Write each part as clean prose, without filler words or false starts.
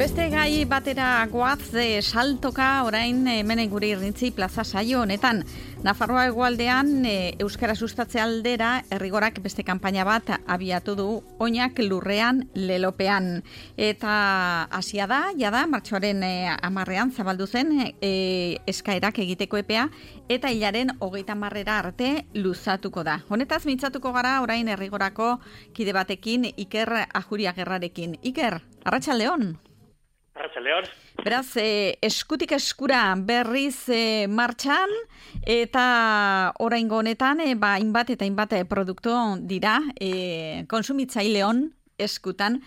Beste gai batera goaz saltoka orain hemen gure irrintzi plaza saio honetan. Nafarroa hegoaldean euskara sustatze aldera Errigorak beste kanpaina bat abiatu du oinak lurrean lelopean. Eta hasia da, jada, martxoaren 10ean zabaldu zen eskaerak egiteko epea eta hilaren 30 arte luzatuko da. Honetaz mintzatuko gara orain Errigorako kide batekin, Iker Ajuriagerrarekin. Iker, arratsaldeon. Arratsaldeon. Beraz, eskutik eskura berriz martxan eta oraingo honetan hainbat eta hainbat produktu dira kontsumitzaileon eskutan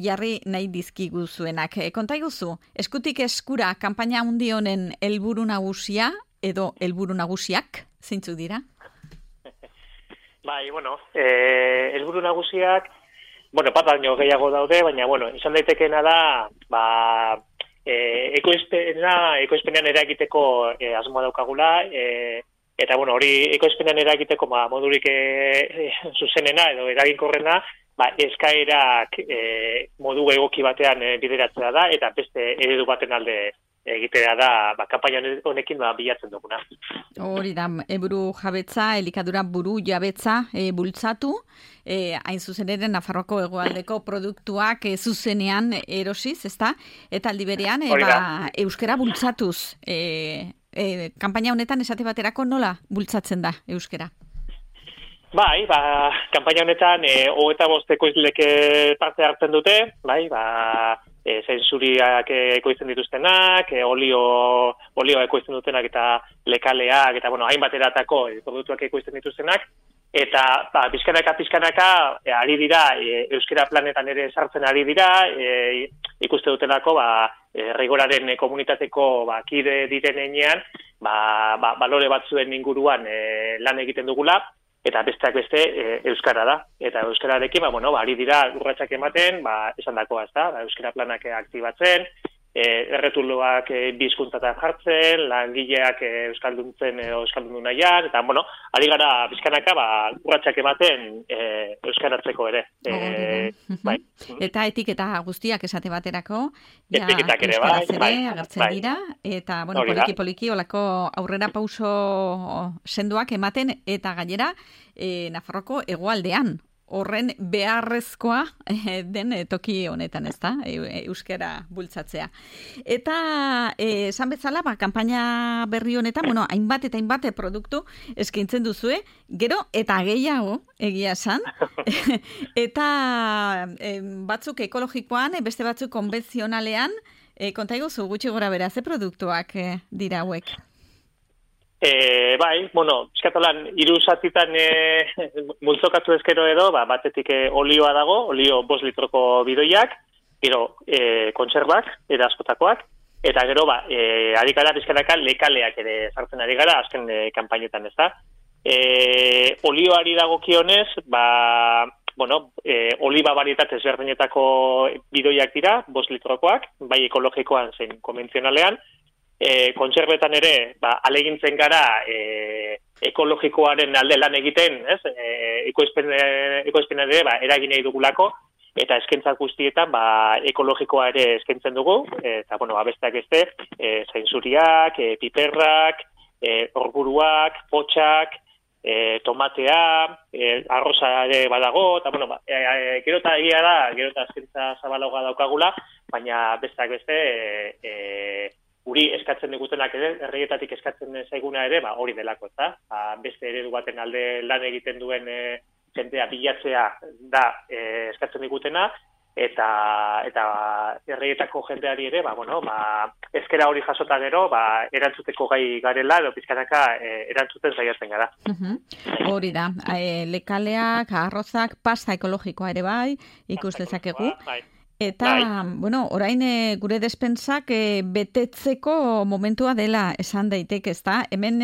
jarri nahi dizkiguzuenak. Konta iguzu, eskutik eskura kanpaina handi honen helburu nagusia edo helburu nagusiak zeintzuk dira? Bai, helburu nagusiak bat baino gehiago daude, baina, izan daitekeena da, ekoizpenean eragiteko asmoa daukagula, eta, hori ekoizpenean eragiteko modurik zuzenena edo eraginkorrena, eskaerak modu egoki batean bideratzea da, eta beste eredu baten alde egitea da, kanpaina honekin bilatzen duguna. Hori da, buru jabetza, elikadura buru jabetza bultzatu, hain zuzen ere Nafarroako hegoaldeko produktuak zuzenean erosiz, ezta? Eta aldi berean, euskara bultzatuz. Kanpaina honetan esate baterako nola bultzatzen da euskara? Bai, kanpaina honetan 25 ekoizlek parte hartzen dute, zentsuriak ekoizten dituztenak, olioa ekoizten dutenak eta lekaleak, eta hainbat eratako produktuak ekoizten dituztenak, eta pizkanaka ari dira, euskara planetan ere sartzen ari dira, ikuste dutelako, Errigoraren komunitateko kide diren enean, balore batzuen inguruan lan egiten dugula, eta besteak beste euskara da. Eta euskararekin, ari dira urratsak ematen, esandakoa, ezta? Euskara planak aktibatzen, erretuloak bi hizkuntzatan jartzen, langileak euskalduntzen edo euskaldundu nahian, eta ari gara bizkanaka urratsak ematen euskaratzeko ere. Bai. Eta etiketa guztiak esate baterako, etiketak ere agertzen dira, eta poliki olako aurrera pauso sendoak ematen, eta gainera Nafarroko hegoaldean horren beharrezkoa den toki honetan, ezta? Euskara bultzatzea. Eta esan bezala, kanpaina berri honetan, hainbat eta hainbat produktu eskaintzen duzue, gero eta gehiago egia esan, eta batzuk ekologikoan, beste batzuk konbentzionalean, konta iguzu gutxi gora bera, ze produktuak dira hauek? Piskatolan, 3 zatitan multzokatu ezkero edo, batetik olioa dago, olio 5 litroko bidoiak, gero kontserbak, askotakoak, eta gero, ari gara pizkanaka lekaleak ere sartzen ari gara, azken kanpainetan, ez da. Olioari dagokionez, oliba barietate ezberdinetako bidoiak dira, 5 litrokoak, bai ekologikoan zein konbentzionalean, kontserbetan ere, alegintzen gara ekologikoaren alde lan egiten, ekoizpen ere eragin nahi dugulako, eta eskaintzak guztietan ekologikoa ere eskaintzen dugu, eta besteak beste, zentsuriak, piperrak, orburuak, potxak, tomatea, arroza ere badago, eta gero eta egia da, gero eta eskaintza zabalagoa daukagula, baina besteak beste, guri eskatzen digutenak ere, herrietatik eskatzen zaiguna ere, hori delako, eta beste eredu baten alde lan egiten duen jendea bilatzea da eskatzen digutena, eta herrietako jendeari ere, ezkera hori jasota gero, erantzuteko gai garela, edo pizkanaka erantzuten saiatzen gara. Hori da, lekaleak, arrozak, pasta ekologikoa ere bai, ikus dezakegu. Eta, orain gure despensak betetzeko momentua dela esan daiteke, ezta? Hemen,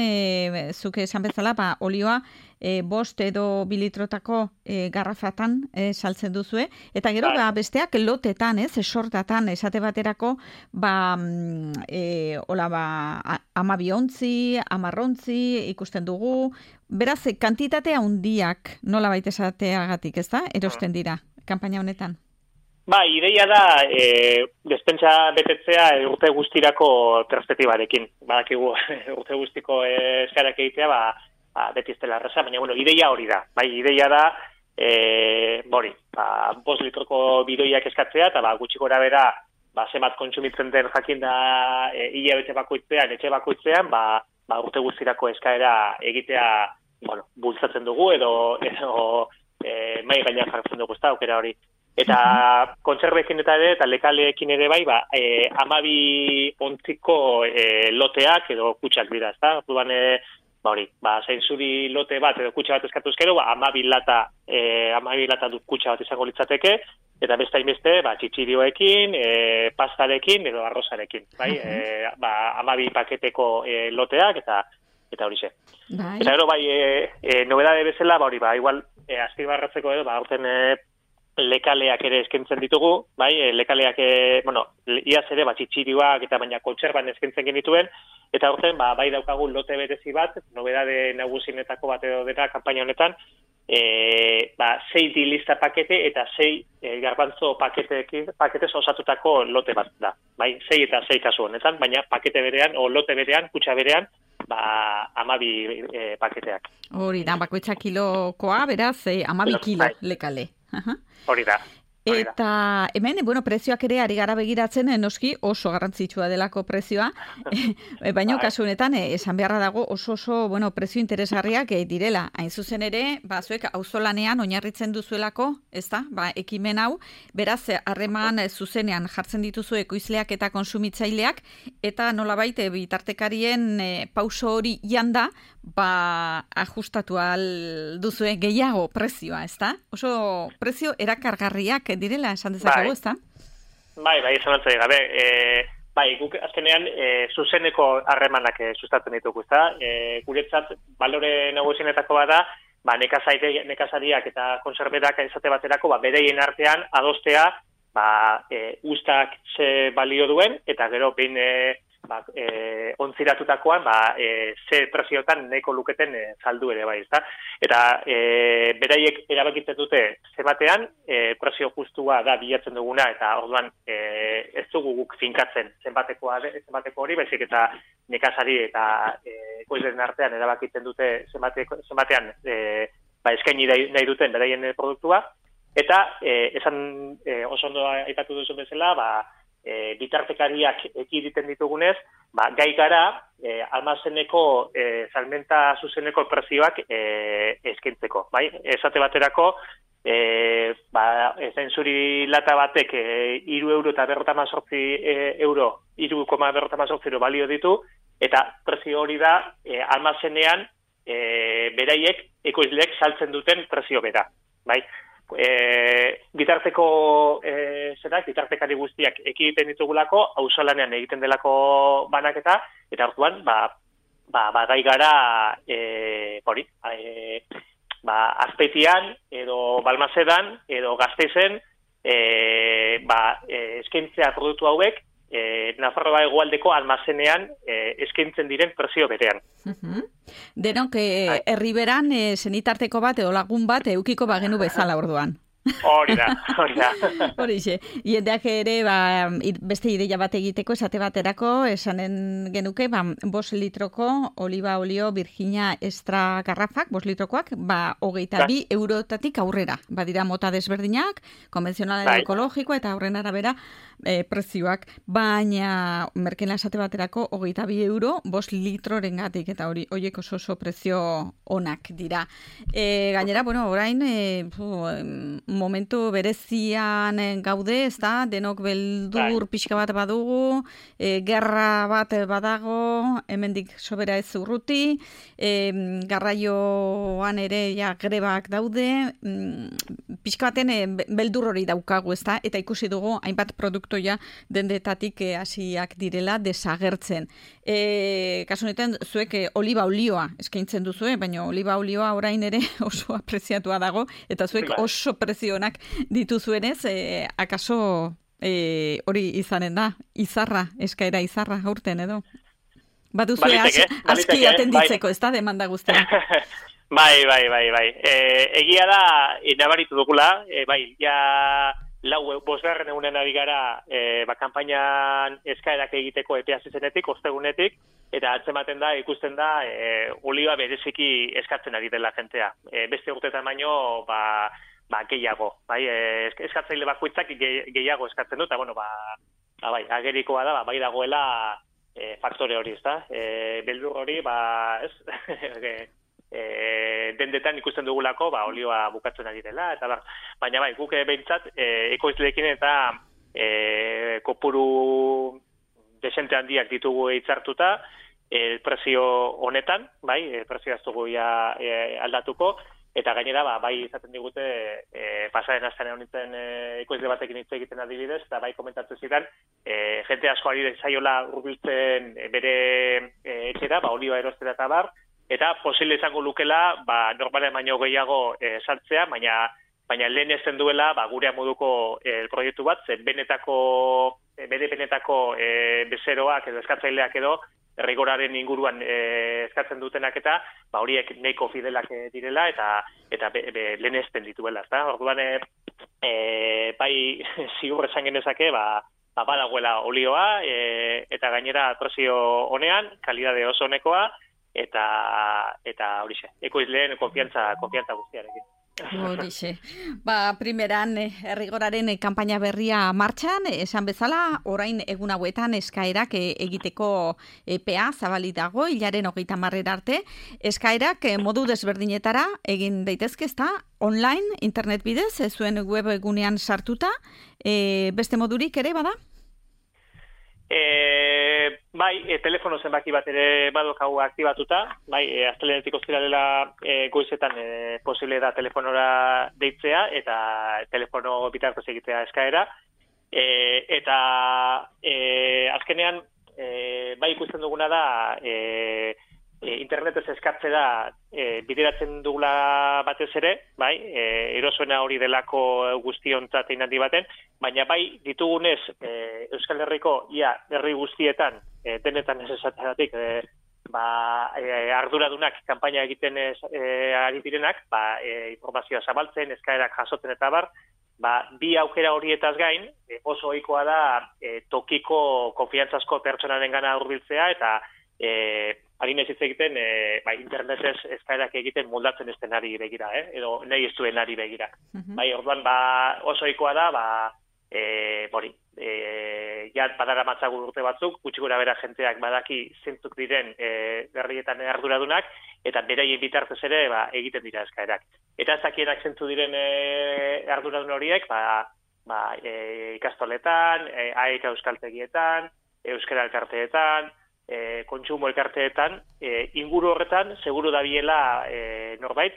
zuke esan bezala, olioa 5 edo 2 litrotako garrafatan saltzen duzue, eta gero besteak lotetan, esortatan, esate baterako, 12 ontzi, 10 ontzi ikusten dugu, beraz, kantitatea handiak nola baita esateagatik, ezta? Erosten dira, kanpaina honetan. Ideia da despentsa betetzea urte guztirako perspektibarekin. Badakigu urte guztiko eskarak egitea, beti ez dela erraza, baina ideia hori da. Ideia da 5 litroko bidoiak eskatzea, eta gutxi gora bera zenbat kontsumitzen den jakin da hilabete bakoitzean, etxe bakoitzean, urte guztirako eskaera egitea bultzatzen dugu, edo mai gainean jartzen dugu, ez da, aukera hori. Eta kontserbekin eta lekaleekin ere 12 ontziko loteak edo kutsak dira, ez da? Orduan, zainzuri lote bat edo kutsa bat eskatuzkero, 12 lata dut kutsa bat izango litzateke, eta beste hainbeste, txitsirioekin, pastarekin edo arrozarekin, 12 paketeko loteak eta hori ze. Eta gero, nobedade bezala, igual, azpimarratzeko edo, aurten lekaleak ere eskaintzen ditugu, lekaleak, iaz ere, txitsirioak eta baina kontserban eskaintzen genituen, eta horten, daukagu lote berezi bat, nobedade nagusinetako bat edo dena, kanpaina honetan, 6 dilista pakete eta 6 garbantzo paketez osatutako lote bat da. 6 eta 6 kasu honetan, baina pakete berean, o lote berean, kutsa berean, 12 paketeak. Hori da, bakoitza kilokoa, beraz, 12 kilo lekale. Hori da. Eta hemen, prezioak ere ari gara begiratzen, noski oso garrantzitsua delako prezioa, baina kasu honetan, esan beharra dago oso prezio interesgarriak direla. Hain zuzen ere, zuek auzolanean oinarritzen duzuelako, ez da, ekimen hau, beraz, harreman zuzenean jartzen dituzu ekoizleak eta konsumitzaileak, eta nolabait bitartekarien pauso hori janda, ajustatu al duzue gehiago prezioa, ez da? Oso prezio erakargarriak direla, esan dezakegu, ez da? Esan antzai gabe. Guk azkenean zuzeneko harremanak sustatzen ditugu, ez da? Guretzat, balore nagusienetako bada, nekazariak eta konserberak izate baterako, bereien artean adostea, ustak ze balio duen, eta gero behin ontziratutakoan, ze preziotan nahiko luketen saldu ere bai, ezta? Eta beraiek erabakitzen dute zenbatean, prezio justua da bilatzen duguna, eta orduan ez dugu guk finkatzen zenbateko hori, baizik eta nekazari eta ekoizleen artean erabakitzen dute zenbatean eskaini nahi duten beraien produktua, eta esan oso ondo aipatu duzu bezala, bitartekariak ekiditen ditugunez, gai gara almazeneko salmenta zuzeneko prezioak eskaintzeko. Esate baterako, zainzuri lata batek 3 euro eta 3,58 euro, 3,58 balio ditu, eta prezio hori da almazenean beraiek ekoizleek saltzen duten prezio bera. Bitartekari guztiak ekiditen ditugulako, auzolanean egiten delako banaketa, eta orduan, gai gara, Azpeitian, edo Balmasedan, edo Gasteizen, eskaintzea produktu hauek, Nafarroa hegoaldeko almazenean eskaintzen diren prezio berean. Denok, herriberan senitarteko bat edo lagun bat eukiko bagenu bezala orduan. Hori da. Horixe. Jendeak ere, beste ideia bat egiteko, esate baterako, esanen genuke, 5 litroko oliba olio Virginia extra garrafak, 5 litrokoak, 22 eurotatik aurrera. Badira mota desberdinak, konbentzionala ekologikoa eta horren arabera prezioak, baina merkena esate baterako 22 euro 5 litroren gatik, eta horiek oso prezio onak dira. Gainera, orain, momentu berezian gaude, ez da, denok beldur pixka bat badugu, gerra bat badago, hemendik sobera ez urruti, garraioan ere grebak daude, pixka baten beldur hori daukagu, ez da, eta ikusi dugu hainbat produktoia dendetatik hasiak direla desagertzen. Kasu honetan, zuek oliba olioa eskaintzen duzue, baina oliba olioa orain ere oso apreziatua dago, eta zuek oso prezionak dituzuenez, akaso hori izanen da, eskaera izarra aurten edo? Baduzue aski atenditzeko, ez da, demanda guztia? Bai. Egia da, nabaritu dugula, bosgarren egunen ari gara kanpainan eskaerak egiteko epea zizenetik, ostegunetik, eta atzematen da, ikusten da, olioa bereziki eskatzen ari dela jentea. Beste urtetan baino, gehiago. Bai, eskatzaile bakoitzak gehiago eskatzen du, eta bueno, bai, agerikoa da, bai dagoela faktore hori, ezta? Beldur hori, ez? Dendetan ikusten dugulako, olioa bukatzen ari dela, eta baina bai, guk behintzat, ekoizleekin eta kopuru desente handiak ditugu hitzartuta, prezio honetan, bai, prezio ez dugu aldatuko, eta gainera, bai izaten digute, pasaren astean honetan ekoizle batekin hitz egiten adibidez, eta bai komentatzen zidan, jente asko ari zaiola hurbiltzen bere etxera, olioa erostera eta bar, eta posible izango lukela, normalen baino gehiago sartzea, baina lehen ezen duela, gurea moduko proiektu bat, zen bere benetako bezeroak edo eskatzaileak edo, rigoraren inguruan eskatzen dutenak eta horiek nahiko fidelak direla eta lehen ezten dituela. Orduan, bai ziur esan genezake, badagoela olioa eta gainera prezio honean, kalidade oso honekoa, eta horixe, ekoizleen konfiantza guztiarekin. Horixe. Primeran, errigoraren kanpaina berria martxan, esan bezala, orain egun hauetan eskaerak egiteko epea zabalik dago, hilaren 30 arte. Eskaerak modu desberdinetara egin daitezke, ezta? Online, internet bidez, zuen web egunean sartuta, beste modurik ere bada? Bai, telefono zenbaki bat ere badokagu aktibatuta, bai, astelehenetik ostiralera goizetan posible da telefonora deitzea eta telefono bitartez egitea eskaera, eta azkenean bai ikusten duguna da internetez eskatze da bideratzen dugula batez ere, bai, erosoena hori delako guztiontzat egin handi baten, baina bai ditugunez Euskal Herriko herri guztietan denetan ez esateratik arduradunak kanpaina egiten ari direnak, informazioa zabaltzen, eskaerak jasotzen eta bar, bi aukera horietaz gain, oso ohikoa da tokiko konfiantzazko pertsonarengana hurbiltzea eta harinez hitz egiten internetez eskaerak egiten moldatzen ez denari begira, edo nahi ez duenari begira. Bai, orduan oso ohikoa da, badara matzagu urte batzuk, gutxi gora bera jenteak badaki zentzuk diren herrietan arduradunak, eta beraien bitartez ere egiten dira eskaerak. Eta ez dakienak zentzu diren arduradun horiek, ikastoletan, AEK euskaltegietan, euskara elkarteetan, kontsumo elkarteetan, inguru horretan, seguru dabiela norbait,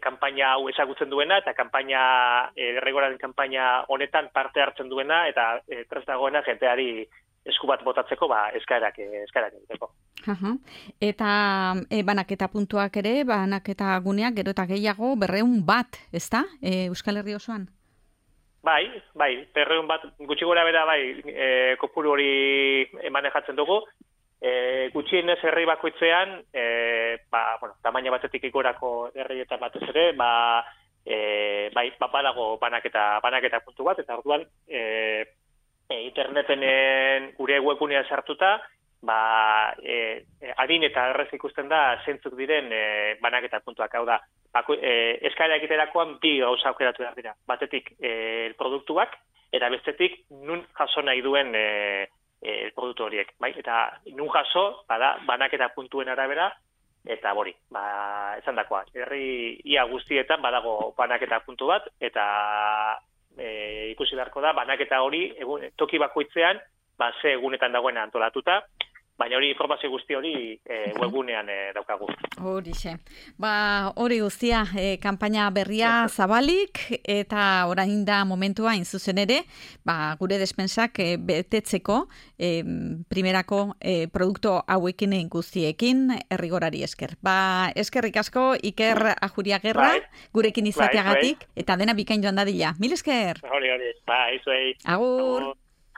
kanpaina hau ezagutzen duena, eta erregoraren kanpaina honetan parte hartzen duena, eta prest dagoena jenteari esku bat botatzeko, eskaerak egiteko. Eta banaketa puntuak ere, banaketa guneak gero eta gehiago 200 bat, ezta? Euskal Herri osoan? Bai, 200 bat, gutxi gora bera, kopuru hori manejatzen dugu. Gutxienez herri bakoitzean, tamaina batetik igorako herrietan batez ere, badago banaketa puntu bat, eta orduan interneten gure webgunean sartuta, adin eta errez ikusten da zentzuk diren banaketa puntuak, hau da, eskaera egiterakoan bi gauza aukeratu behar dira. Batetik produktuak, eta bestetik nun jaso nahi duen produktu horiek. Eta nun jaso, banaketa puntuen arabera, eta esan dakoa. Herri ia guztietan badago banaketa puntu bat, eta ikusi beharko da, banaketa hori toki bakoitzean, ze egunetan dagoena antolatuta, baina hori informazio guzti hori webgunean daukagu. Horixe. Hori guztia, kanpaina berria zabalik, eta orain da momentua zuzen ere, gure despensak betetzeko primerako produktu hauekin guztiekin errigorari esker. Eskerrik asko, Iker Ajuriagerra, gurekin izateagatik, eta dena bikain joan dadila. Mil esker! Hori, izuei. Agur!